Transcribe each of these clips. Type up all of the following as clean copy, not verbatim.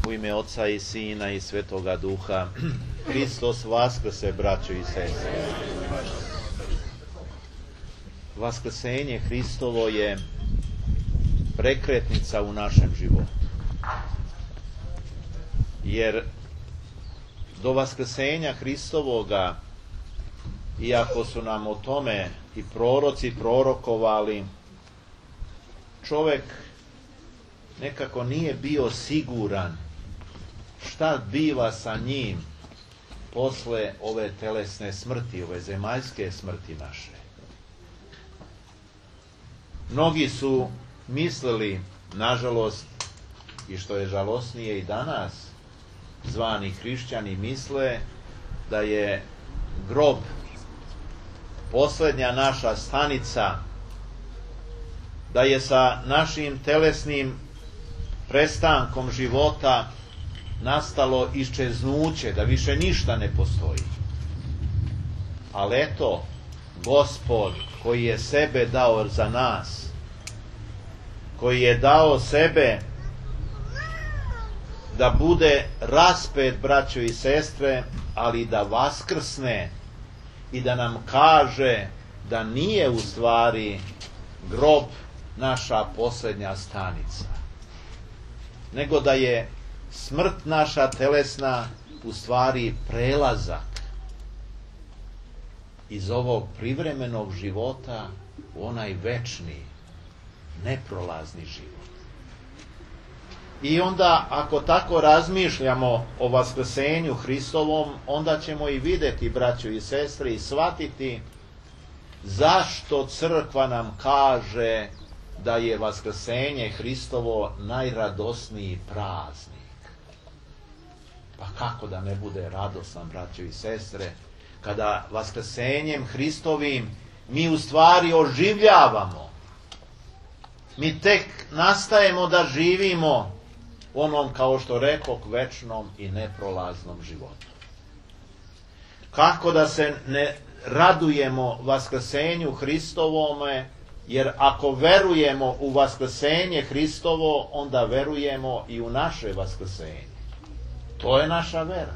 U ime Oca i Sina i Svetoga Duha. Hristos vaskrse, braćo i sestre. Vaskrsenje Hristovo je prekretnica u našem životu. Jer do vaskrsenja Hristovoga, iako su nam o tome i proroci prorokovali, čovjek nekako nije bio siguran šta biva sa njim posle ove telesne smrti, ove zemaljske smrti naše. Mnogi su mislili, nažalost, i što je žalosnije i danas, zvani hrišćani misle da je grob posljednja naša stanica, da je sa našim telesnim prestankom života nastalo iščeznuće, da više ništa ne postoji. Ali eto, Gospod koji je sebe dao za nas, koji je dao sebe da bude raspet, braćo i sestre, ali da vaskrsne i da nam kaže da nije u stvari grob naša posljednja stanica, nego da je smrt naša telesna u stvari prelazak iz ovog privremenog života u onaj večni, neprolazni život. I onda, ako tako razmišljamo o vaskrsenju Hristovom, onda ćemo i vidjeti, braćo i sestre, i shvatiti zašto crkva nam kaže da je vaskrsenje Hristovo najradosniji praznik. Pa kako da ne bude radosan, braćo i sestre, kada vaskrsenjem Hristovim mi u stvari oživljavamo. Mi tek nastajemo da živimo onom, kao što rekoh, večnom i neprolaznom životu. Kako da se ne radujemo vaskrsenju Hristovome, jer ako verujemo u vaskrsenje Hristovo, onda verujemo i u naše vaskrsenje. To je naša vera.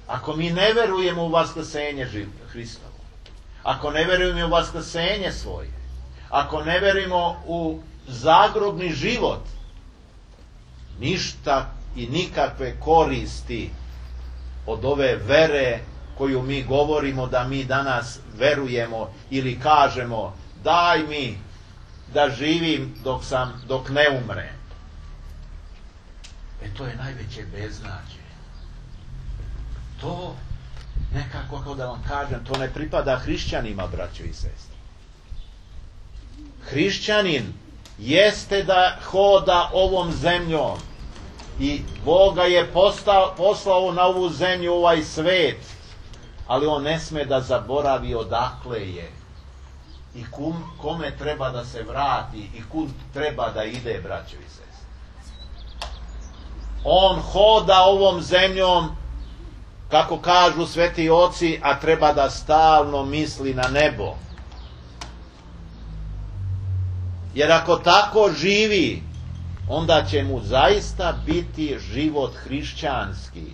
Ako mi ne verujemo u vaskrsenje Hristovo, ako ne verujemo u vaskrsenje svoje, ako ne verujemo u zagrobni život, ništa i nikakve koristi od ove vere koju mi govorimo da mi danas verujemo ili kažemo daj mi da živim dok ne umrem. To je najveće beznađe. To nekako, kako da vam kažem, to ne pripada hrišćanima, braćo i sestre. Hrišćanin jeste da hoda ovom zemljom i Boga je poslao na ovu zemlju, ovaj svet, ali on ne sme da zaboravi odakle je i kome treba da se vrati i kud treba da ide, braćo i sestre. On hoda ovom zemljom, kako kažu sveti oci, a treba da stalno misli na nebo. Jer ako tako živi, onda će mu zaista biti život hrišćanski.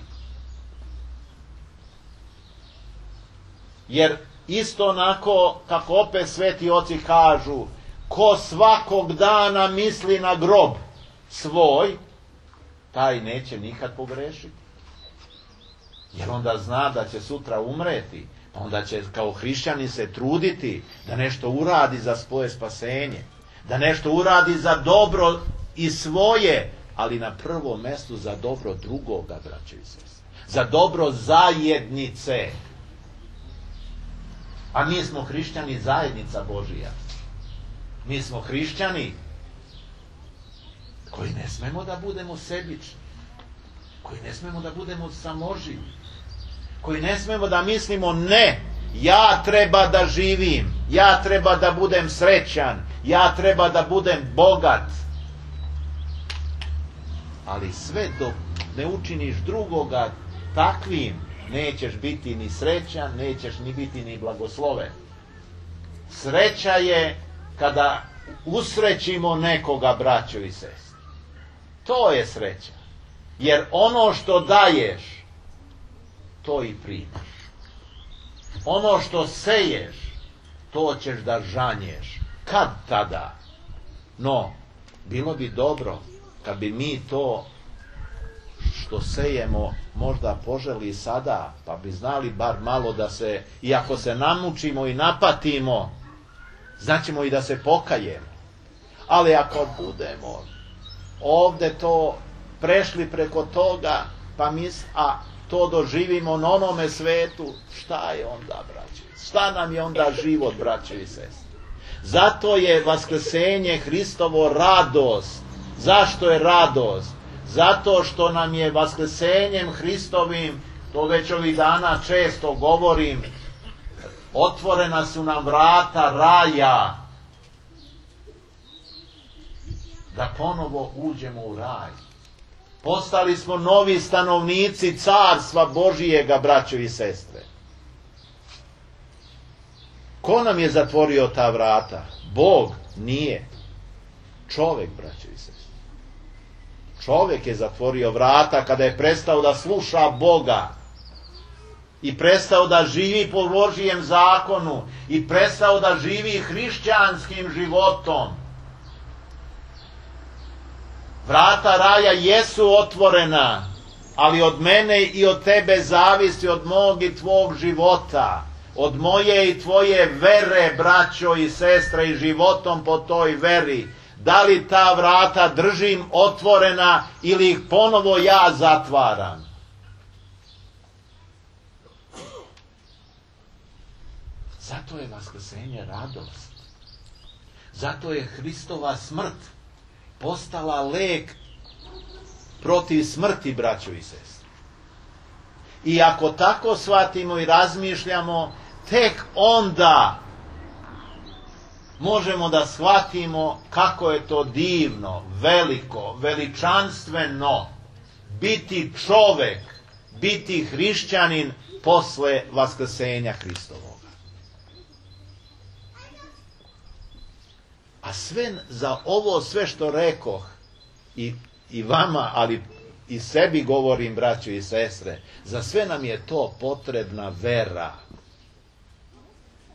Jer isto onako, kako opet sveti oci kažu, ko svakog dana misli na grob svoj, taj neće nikad pogrešiti. Jer onda zna da će sutra umreti, pa onda će kao hrišćanin se truditi da nešto uradi za svoje spasenje, da nešto uradi za dobro i svoje, ali na prvom mjestu za dobro drugoga, braćo i sestre, za dobro zajednice. A mi smo hrišćani zajednica Božija. Mi smo hrišćani koji ne smemo da budemo sebični, koji ne smemo da budemo samoživi, koji ne smemo da mislimo ne, ja treba da živim, ja treba da budem srećan, ja treba da budem bogat. Ali sve dok ne učiniš drugoga takvim, nećeš biti ni srećan, nećeš ni biti ni blagosloven. Sreća je kada usrećimo nekoga, braćo i sestre. To je sreća. Jer ono što daješ, to i primaš. Ono što seješ, to ćeš da žanješ. Kad tada? No, bilo bi dobro kad bi mi to što sejemo možda poželi sada, pa bi znali bar malo da se, iako se namučimo i napatimo, znaćemo i da se pokajemo. Ali ako budemo ovde to prešli preko toga, pa a to doživimo na onome svetu, šta je onda, braće? Šta nam je onda život, braće i sestre? Zato je vaskrsenje Hristovo radost. Zašto je radost? Zato što nam je vaskrsenjem Hristovim, to već ovih dana često govorim, otvorena su nam vrata raja. Da ponovo uđemo u raj. Postali smo novi stanovnici carstva Božijega, braćo i sestre. Ko nam je zatvorio ta vrata? Bog nije. Čovek, braćo i sestre. Čovek je zatvorio vrata kada je prestao da sluša Boga i prestao da živi po Božijem zakonu i prestao da živi hrišćanskim životom. Vrata raja jesu otvorena, ali od mene i od tebe zavisi, od mog i tvog života, od moje i tvoje vere, braćo i sestre, i životom po toj veri. Da li ta vrata držim otvorena ili ih ponovo ja zatvaram? Zato je vaskrsenje radost. Zato je Hristova smrt postala lek protiv smrti, braćo i sestre. I ako tako shvatimo i razmišljamo, tek onda možemo da shvatimo kako je to divno, veliko, veličanstveno biti čovek, biti hrišćanin posle vaskrsenja Hristovoga. A sve za ovo sve što rekoh i vama, ali i sebi govorim, braćo i sestre, za sve nam je to potrebna vera.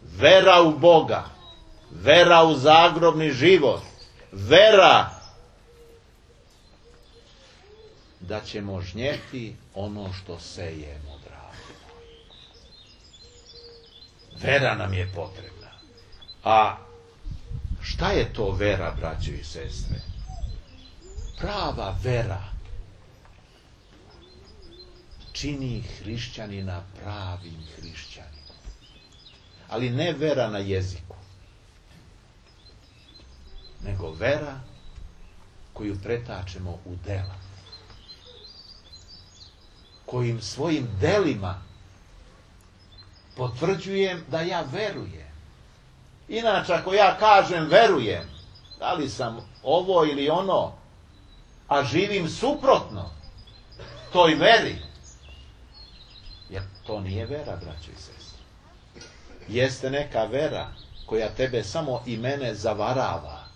Vera u Boga, vera u zagrobni život, vera da ćemo žnjeti ono što sejemo, dragi moji. Vera nam je potrebna. A šta je to vera, braćo i sestre? Prava vera čini hrišćanina pravim hrišćaninom. Ali ne vera na jeziku, nego vera koju pretačemo u dela, kojim svojim delima potvrđujem da ja verujem. Inače, ako ja kažem verujem, da li sam ovo ili ono, a živim suprotno toj veri, jer to nije vera, braćo i sestre. Jeste neka vera koja tebe samo i mene zavarava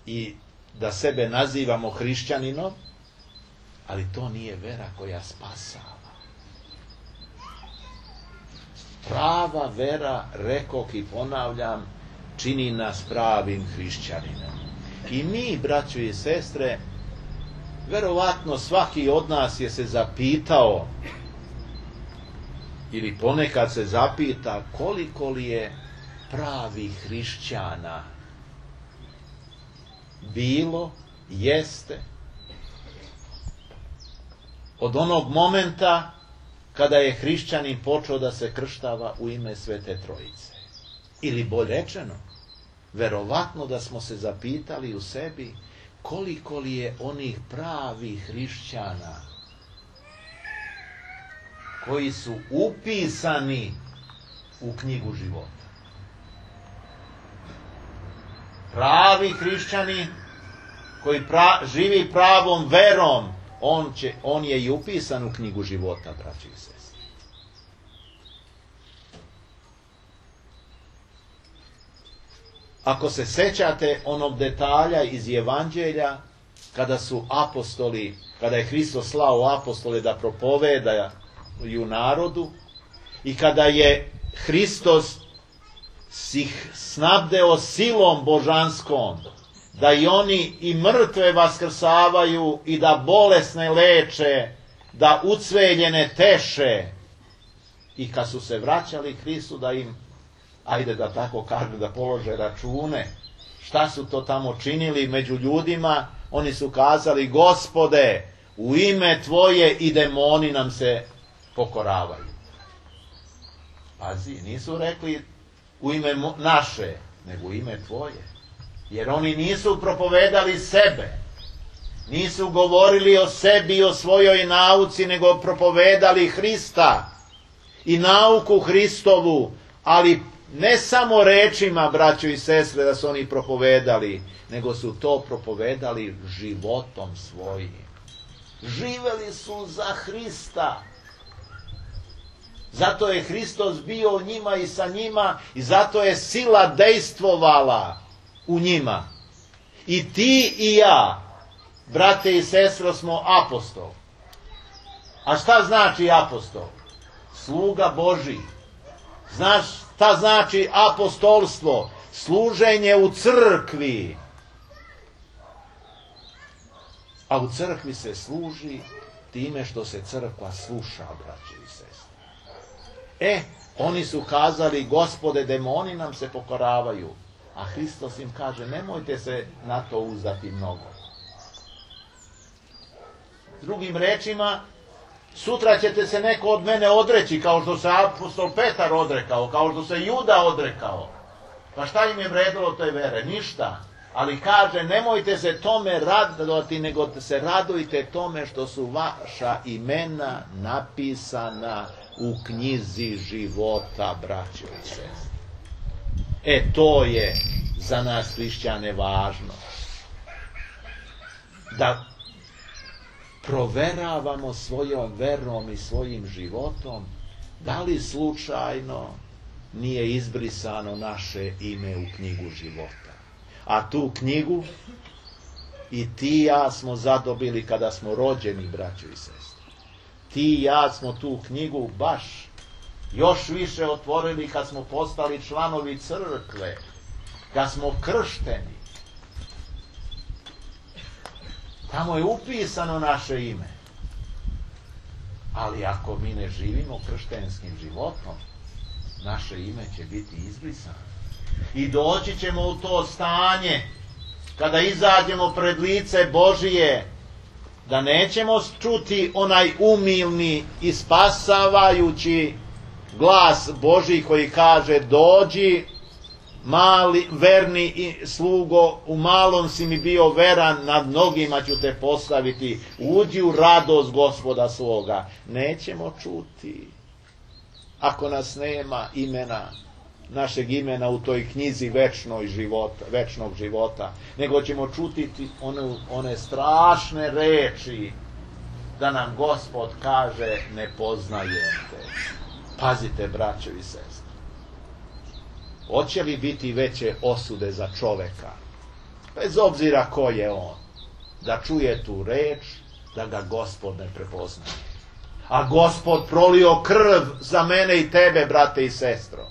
i da sebe nazivamo hrišćaninom, ali to nije vera koja spasava. Prava vera, rekoh i ponavljam, čini nas pravim hrišćaninom. I mi, braćo i sestre, verovatno svaki od nas je se zapitao ili ponekad se zapita koliko li je pravih hrišćana bilo, jeste, od onog momenta kada je hrišćanin počeo da se krštava u ime Svete Trojice. Ili bolje rečeno, verovatno da smo se zapitali u sebi koliko li je onih pravih hrišćana koji su upisani u knjigu života. Pravi hrišćani koji živi pravom verom, on je i upisan u knjigu života, braći i sestre. Ako se sećate onog detalja iz Evanđelja, kada su apostoli, kada je Hristos slao apostole da propovedaju narodu i kada je Hristos ih snabdeo silom božanskom, da i oni i mrtve vaskrsavaju i da bolesne leče, da ucveljene teše. I kad su se vraćali Hristu da im, ajde da tako kažu, da polože račune, šta su to tamo činili među ljudima, oni su kazali: Gospode, u ime Tvoje i demoni nam se pokoravaju. Pazi, nisu rekli u ime naše, nego u ime Tvoje. Jer oni nisu propovedali sebe, nisu govorili o sebi i o svojoj nauci, nego propovedali Hrista i nauku Hristovu, ali ne samo rečima, braćo i sestre, da su oni propovedali, nego su to propovedali životom svojim. Živeli su za Hrista. Zato je Hristos bio njima i sa njima i zato je sila dejstvovala u njima. I ti i ja, brate i sestro, smo apostol. A šta znači apostol? Sluga Božji. Znaš šta znači apostolstvo? Služenje u crkvi. A u crkvi se služi time što se crkva sluša, braće i sestre. Oni su kazali: Gospode, demoni nam se pokoravaju. A Hristos im kaže: nemojte se na to uzdati mnogo. Drugim rečima, sutra ćete se neko od mene odreći, kao što se apostol Petar odrekao, kao što se Juda odrekao. Pa šta im je vredilo te vere? Ništa. Ali kaže: nemojte se tome radovati, nego se radujte tome što su vaša imena napisana u knjizi života, braćo i sestre. To je za nas hrišćane važno. Da proveravamo svojom verom i svojim životom da li slučajno nije izbrisano naše ime u knjigu života. A tu knjigu i ti i ja smo zadobili kada smo rođeni, braćo i sestre. Ti i ja smo tu knjigu baš još više otvorili kad smo postali članovi crkve, kad smo kršteni. Tamo je upisano naše ime. Ali ako mi ne živimo krštenskim životom, naše ime će biti izbrisano. I doći ćemo u to stanje, kada izađemo pred lice Božije, da nećemo čuti onaj umilni i spasavajući glas Božji koji kaže: dođi, mali, verni i slugo, u malom si mi bio veran, nad mnogima ću te postaviti, uđi u radost Gospoda svoga. Nećemo čuti, ako nas nema imena, našeg imena u toj knjizi večnog života, nego ćemo čuti one strašne reči da nam Gospod kaže: ne poznajem te. Pazite, braćo i sestre, hoće li biti veće osude za čoveka, bez obzira ko je on, da čuje tu reč, da ga Gospod ne prepoznaje? A Gospod prolio krv za mene i tebe, brate i sestro,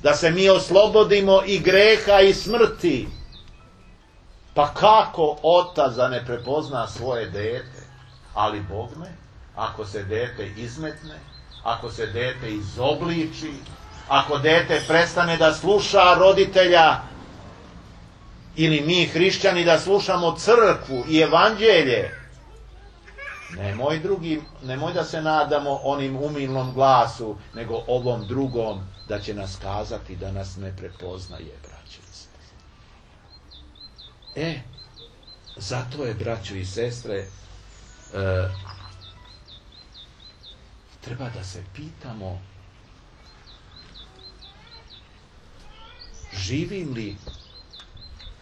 da se mi oslobodimo i greha i smrti. Pa kako otac da ne prepozna svoje dete? Ali bogme, ako se dete izmetne, ako se dete izobliči, ako dete prestane da sluša roditelja, ili mi hrišćani da slušamo crkvu i evanđelje, nemoj da se nadamo onim umilnom glasu, nego ovom drugom, da će nas kazati da nas ne prepoznaje, braćo i sestre. Zato je, braćo i sestre, treba da se pitamo: živim li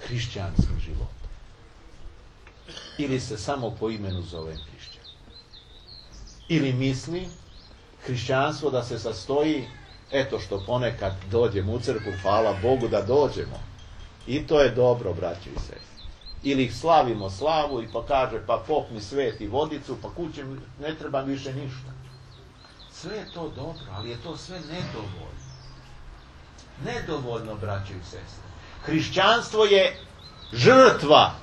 hrišćanskim životom? Ili se samo po imenu zovem hrišćan? Ili mislim hrišćanstvo da se sastoji, eto što ponekad dođemo u crkvu, hvala Bogu da dođemo, i to je dobro, braćo i sestre. Ili slavimo slavu i pa kaže, pa pop mi sveti vodicu, pa kuće ne treba više ništa. Sve je to dobro, ali je to sve nedovoljno. Nedovoljno, braćo i sestre. Hrišćanstvo je žrtva.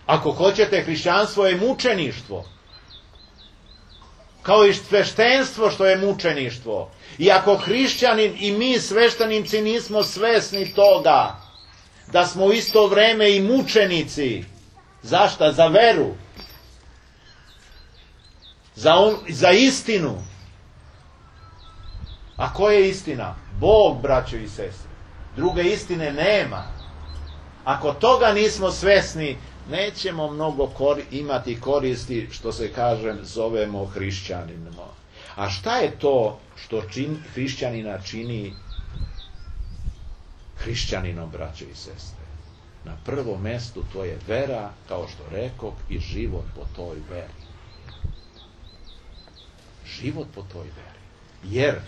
Ako hoćete, hrišćanstvo je mučeništvo. Kao i sveštenstvo što je mučeništvo. I ako hrišćanin i mi sveštenici nismo svesni toga da smo u isto vreme i mučenici. Zašta? Za veru. Za istinu. A koja je istina? Bog, braćo i sestre. Druge istine nema. Ako toga nismo svesni, nećemo mnogo imati koristi, što se kaže, zovemo hrišćanima. A šta je to što hrišćanina čini hrišćaninom, braćo i sestre? Na prvom mjestu to je vera, kao što rekoh, i život po toj veri. Život po toj veri. Jer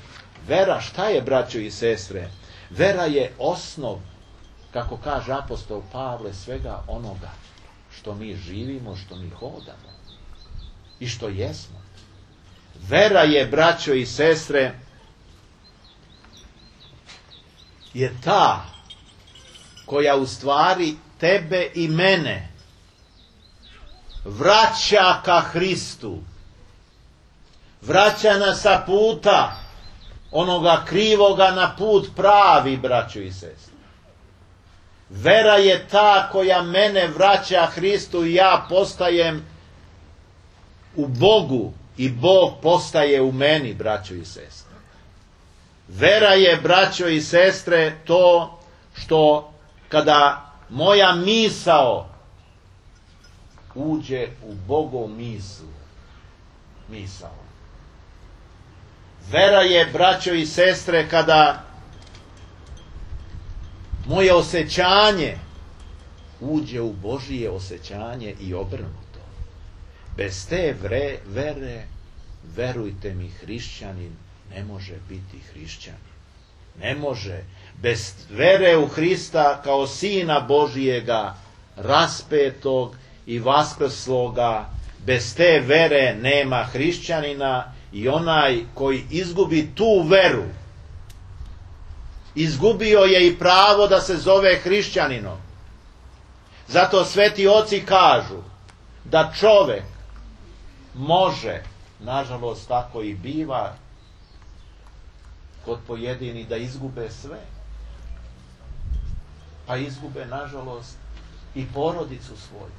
vera, šta je, braćo i sestre? Vera je osnov, kako kaže apostol Pavle, svega onoga što mi živimo, što mi hodamo i što jesmo. Vera je, braćo i sestre, je ta koja u stvari tebe i mene vraća ka Hristu. Vraća nas sa puta onoga krivoga na put pravi, braćo i sestre. Vera je ta koja mene vraća Hristu i ja postajem u Bogu i Bog postaje u meni, braćo i sestre. Vera je, braćo i sestre, to što kada moja misao uđe u Bogov misao. Vera je, braćo i sestre, kada moje osjećanje uđe u Božije osjećanje i obrnuto. Bez te vere, verujte mi, hrišćanin ne može biti hrišćanin. Ne može. Bez vere u Hrista kao Sina Božijega, raspetog i vaskrsloga, bez te vere nema hrišćanina i onaj koji izgubi tu veru, izgubio je i pravo da se zove hrišćaninom. Zato sveti oci kažu da čovek može, nažalost tako i biva kod pojedini, da izgube sve. Pa izgube, nažalost, i porodicu svoju.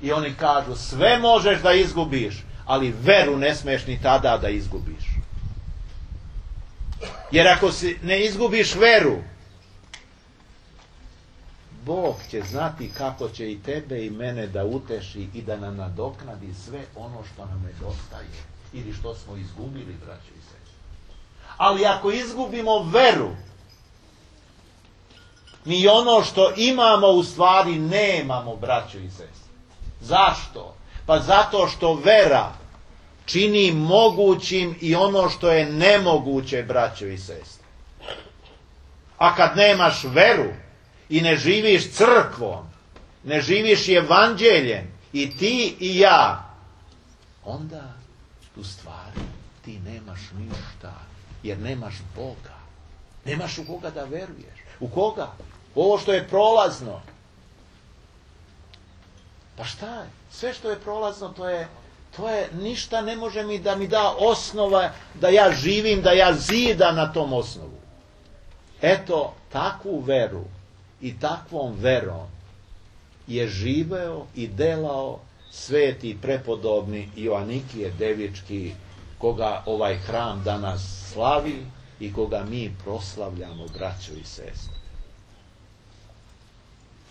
I oni kažu, sve možeš da izgubiš, ali veru ne smeš ni tada da izgubiš. Jer ako ne izgubiš veru, Bog će znati kako će i tebe i mene da uteši i da nam nadoknadi sve ono što nam nedostaje ili što smo izgubili, braćo i sestre. Ali ako izgubimo veru, mi ono što imamo u stvari nemamo, braćo i sestre. Zašto? Pa zato što vera čini mogućim i ono što je nemoguće, braćo i sestre. A kad nemaš veru i ne živiš crkvom, ne živiš evanđeljem, i ti i ja, onda u stvari ti nemaš ništa, jer nemaš Boga. Nemaš u koga da veruješ. U koga? Ovo što je prolazno. Pa šta je? Sve što je prolazno, to je ništa ne može da mi da osnova da ja živim, da ja zidam na tom osnovu. Eto, takvu veru i takvom verom je živeo i delao sveti prepodobni Joanikije Devički, koga ovaj hram danas slavi i koga mi proslavljamo, braćo i sestre.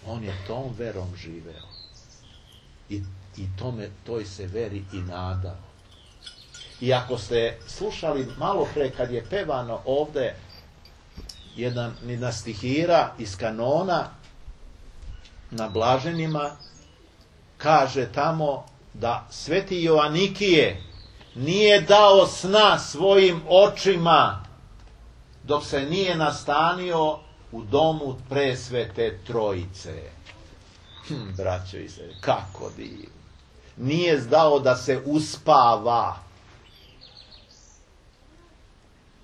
On je tom verom živeo i toj se veri i nadao. I ako ste slušali malo pre kad je pevano ovde jedna stihira iz kanona na Blaženima, kaže tamo da sveti Joanikije nije dao sna svojim očima dok se nije nastanio u domu presvete trojice. Braćo i sestre, kako divno. Nije dao da se uspava,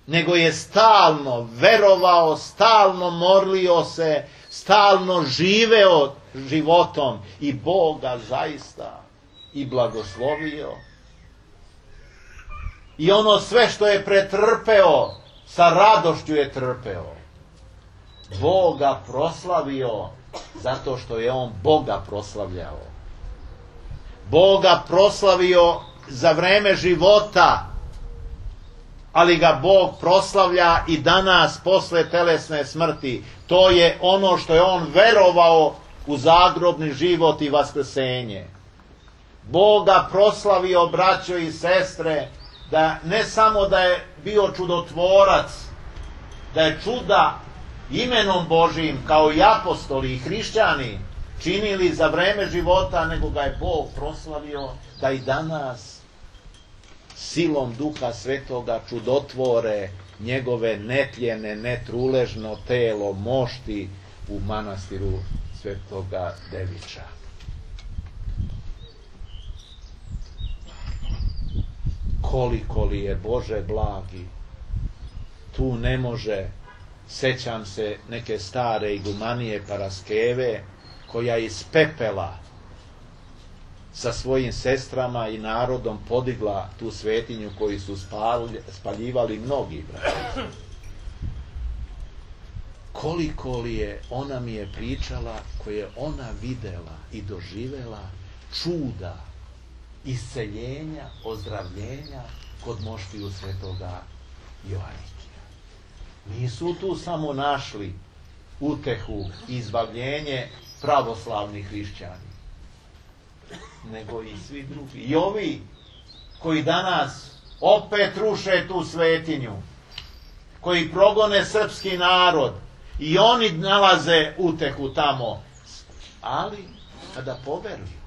nego je stalno verovao, stalno molio se, stalno živeo životom i Boga zaista i blagoslovio. I ono sve što je pretrpeo, sa radošću je trpeo. Boga proslavio zato što je on Boga proslavljao. Boga proslavio za vreme života, ali ga Bog proslavlja i danas posle telesne smrti. To je ono što je on verovao u zagrobni život i vaskrsenje. Boga proslavio, braćo i sestre, da ne samo da je bio čudotvorac, da je čuda imenom Božijim, kao i apostoli i hrišćani, činili za vreme života, nego ga je Bog proslavio da i danas silom Duha Svetoga čudotvore njegove netljene, netruležno telo mošti u manastiru Svetoga Devića. Koliko li je Bože blagi, tu ne može, sećam se neke stare igumanije Paraskeve, koja iz pepela sa svojim sestrama i narodom podigla tu svetinju koju su spaljivali mnogi braći. Koliko li je, ona mi je pričala, koje je ona videla i doživela čuda, isceljenja, ozdravljenja kod moštiju Svetoga Joanikija. Nisu tu samo našli utehu i izbavljenje pravoslavni hrišćani, nego i svi drugi. I ovi koji danas opet ruše tu svetinju, koji progone srpski narod, i oni nalaze utehu tamo, ali kada poveruju.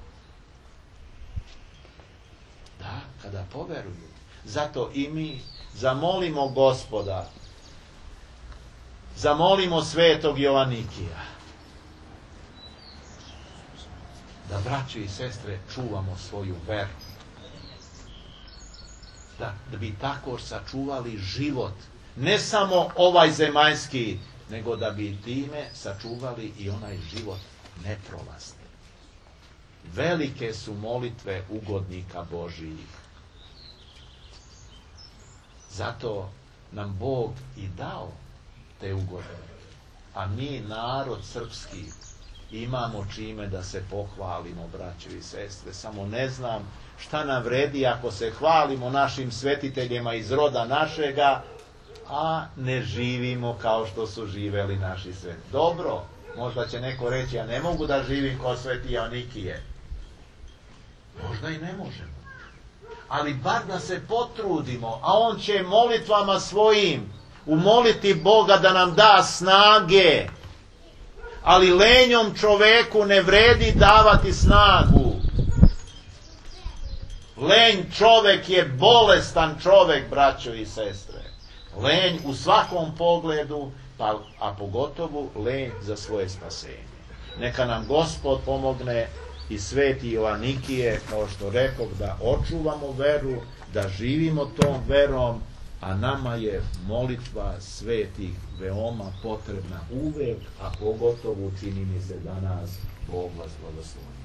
Da, kada poveruju. Zato i mi zamolimo Gospoda, zamolimo Svetog Joanikija, da, braći i sestre, čuvamo svoju veru. Da bi tako sačuvali život, ne samo ovaj zemaljski, nego da bi time sačuvali i onaj život neprolazni. Velike su molitve ugodnika Božijih. Zato nam Bog i dao te ugodnike. A mi, narod srpski, imamo čime da se pohvalimo, braćo i sestre. Samo ne znam šta nam vredi ako se hvalimo našim svetiteljima iz roda našega, a ne živimo kao što su živeli naši sveti. Dobro, možda će neko reći, ja ne mogu da živim kao Sveti Joanikije. Možda i ne možemo. Ali bar da se potrudimo, a on će molitvama svojim umoliti Boga da nam da snage. Ali lenjom čoveku ne vredi davati snagu. Lenj čovek je bolestan čovek, braćo i sestre. Lenj u svakom pogledu, a pogotovo lenj za svoje spasenje. Neka nam Gospod pomogne i Sveti Joanikije, kao što rekao, da očuvamo veru, da živimo tom verom, a nama je molitva svetih veoma potrebna uvek, a pogotovo čini mi se danas Bog vas blagoslovi.